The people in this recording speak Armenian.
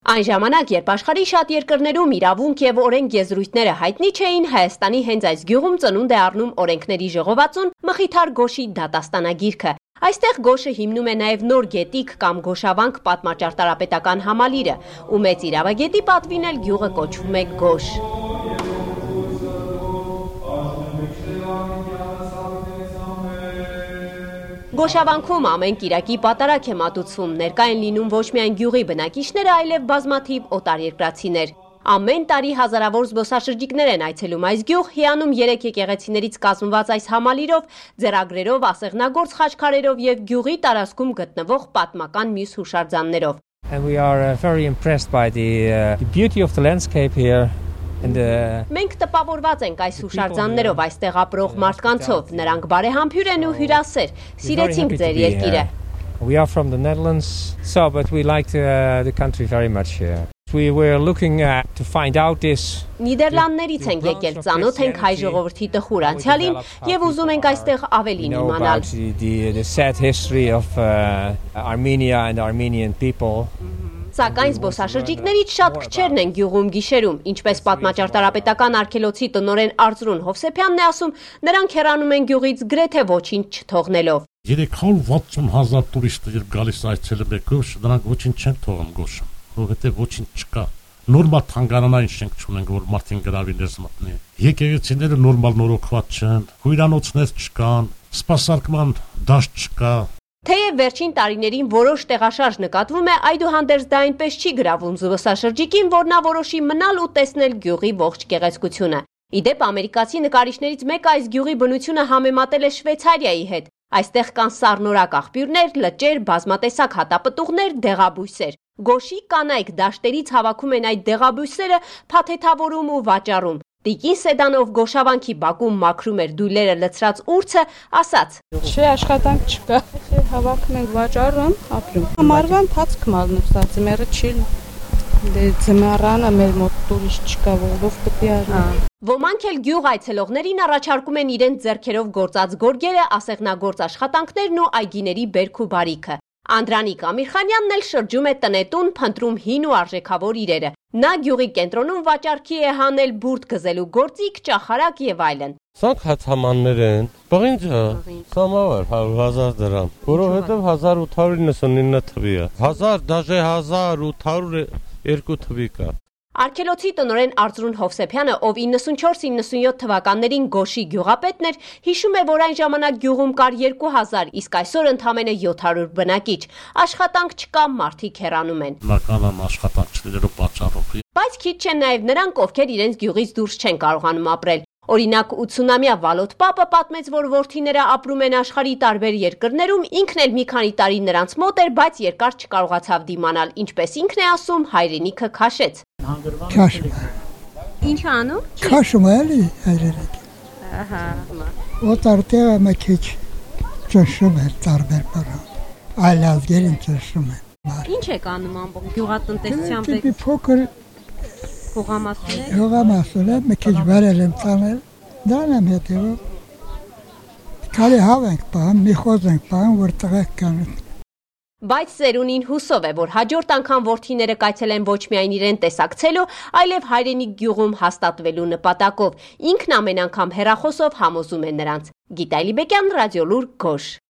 Այն ժամանակ, երբ աշխարհի շատ երկրներում իրավունք եւ օրենք եզրույթները հայտնի չէին, Հայաստանի հենց այս գյուղում ծնունդ է առնում օրենքների ժողովածուն Մխիթար Գոշի դատաստանագիրքը։ Այստեղ Գոշը հիմնում է նաև նոր գետիկ կամ Գոշավանք պատմաճարտարապետական համալիրը, ու մեծ իրավագետի պատվին էլ գյուղը կոչվում է Գոշ։ Գոշավանքում ամեն կիրակի պատարակ է մատուցվում, ներկա են լինում ոչ միայն գյուղի բնակիչները, այլև բազմաթիվ օտարերկրացիներ։ Ամեն տարի հազարավոր զբոսաշրջիկներ են այցելում այս գյուղ, հիանում 3 եկեղեցիներից կազմված այս համալիրով, ձեռագրերով, ասեղնագործ խաչքարերով եւ գյուղի տարածքում գտնվող պատմական մյուս հուշարձաններով։ And we are very impressed by the beauty of the landscape here. Մենք տպավորված ենք այս հուշարձաններով, այստեղ ապրող մարդկանցով, նրանք բարեհամբույր են ու հյուրասեր, սիրեցինք ձեր երկիրը։ We are from the Netherlands, so but we like the country very much here. We were looking to find out this. Նիդերլանդներից ենք եկել, ծանոթ ենք հայ ժողովրդի տխուր անցյալին եւ ուզում ենք այստեղ ավելին իմանալ։ The sad history of Armenia and Armenian people. Սակայն զբոսաշրջիկներից շատ քչերն են գյուղում գիշերում, ինչպես պատմաճարտարապետական արգելոցի տնօրեն Արծրուն Հովսեփյանն է ասում, նրանք հեռանում են գյուղից գրեթե ոչինչ չթողնելով։ 360,000 տուրիստներ գալիս այցելում է Գոշ, նրանք ոչինչ չեն թողում Գոշը, որովհետև ոչինչ չկա։ Նորմալ թանգարանային շենք չունենք, որ մարդին գրավիներ մտնի։ Եկեղեցիները նորմալ նորոգված չեն, հյուրանոցներ չկան, սպասարկման դաշտ չկա։ Թեև վերջին տարիներին որոշ տեղաշարժ նկատվում է, այդուհանդերձ դա այնպես չի գրավում զբոսաշրջիկին, որ նա որոշի մնալ ու տեսնել գյուղի ողջ գեղեցկությունը։ Իդեպ ամերիկացի նկարիչներից մեկը այս գյուղի բնությունը համեմատել է Շվեյցարիայի հետ։ Այստեղ կան սառնորակ աղբյուրներ, լճեր, բազմատեսակ հատապտուղներ, դեղաբույսեր։ Գոշի կանայք դաշտերից հավաքում են այդ դեղաբույսերը, փաթեթավորում ու վաճառում։ Տիկին Սեդանով Գոշավանքի բակում մաքրում էր դույլերը լցրած ուրցը, ասաց. Չէ, աշխատանք չկա, հավաքում ենք, վաճառում, ապրում։ Համարվա ընթացքում ալնուստացի, մերը չի ձմեռանը մեր մոտ տուրիստ չկա, որով կպի արի։ Ոմանք էլ գյուղ այցելողներին առաջարկում են իրենց ձեռքերով գործած գորգերը, ասեղնագործ աշխատանքներն ու այգիների բերք ու բարիքը։ Անդրանիկ Ամիրխանյանն էլ շրջում է տնետուն, փնտրում հին ու արժեքավոր իրերը։ Նա գյուղի կենտրոնում վաճառքի է հանել բուրդ գզելու գործիք, ճախարակ եւ այլն։ Սրանք հացամաններ են, բղինջը, սամավար 100,000 դրամ, որովհետեւ 1899 թվի է, 1000, դաժե 1802 թվի կա։ Արգելոցի տնօրեն Արծրուն Հովսեփյանը, ով 94-97 թվականներին Գոշի գյուղապետն էր, հիշում է, որ այն ժամանակ գյուղում կար 2000, իսկ այսօր ընդամենը 700 բնակիչ։ Աշխատանք չկա, մարդիկ հեռանում են։ Բնականon աշխատանք չլինելու պատճառով։ Բայց քիչ չեն նաև նրանք, ովքեր իրենց գյուղից դուրս չեն կարողանում ապրել։ Օրինակ 80-ամյա Վալոտ Պապը պատմեց, որ որդիները ապրում են աշխարհի տարբեր երկրներում, ինքն էլ մի քանի տարի նրանց մոտ էր, բայց երկար չկարողացավ դիմանալ, ինչպես ինքն է ասում, հայրենիքը քաշեց։ Քաշում։ Ինչ անում։ Քաշում էլի հայրենիքը։ Ահա։ Օտարտեղը մի քիչ ճնշում է տարբեր բառ։ Այլ ազգերին ճնշում է։ Ինչ եք անում ամբողջ գյուղատնտեսությամբ եք։ Փոքր Հողամասում է, մի քիչ վարել եմ ծանել, դրան եմ հետևում։ Քալի հավ ենք պահում, մի խոզ ենք պահում, որ տղեկ կանեն։ Բայց Սերունին հուսով է, որ հաջորդ անգամ որդիները կայցելեն ոչ միայն իրեն տեսակցելու, այլև հայրենիք գյուղում հաստատվելու նպատակով։ Ինքն ամեն անգամ հեռախոսով համոզում է նրանց։ Գիտալի Բեկյան, Ռադիոլուր, Գոշ։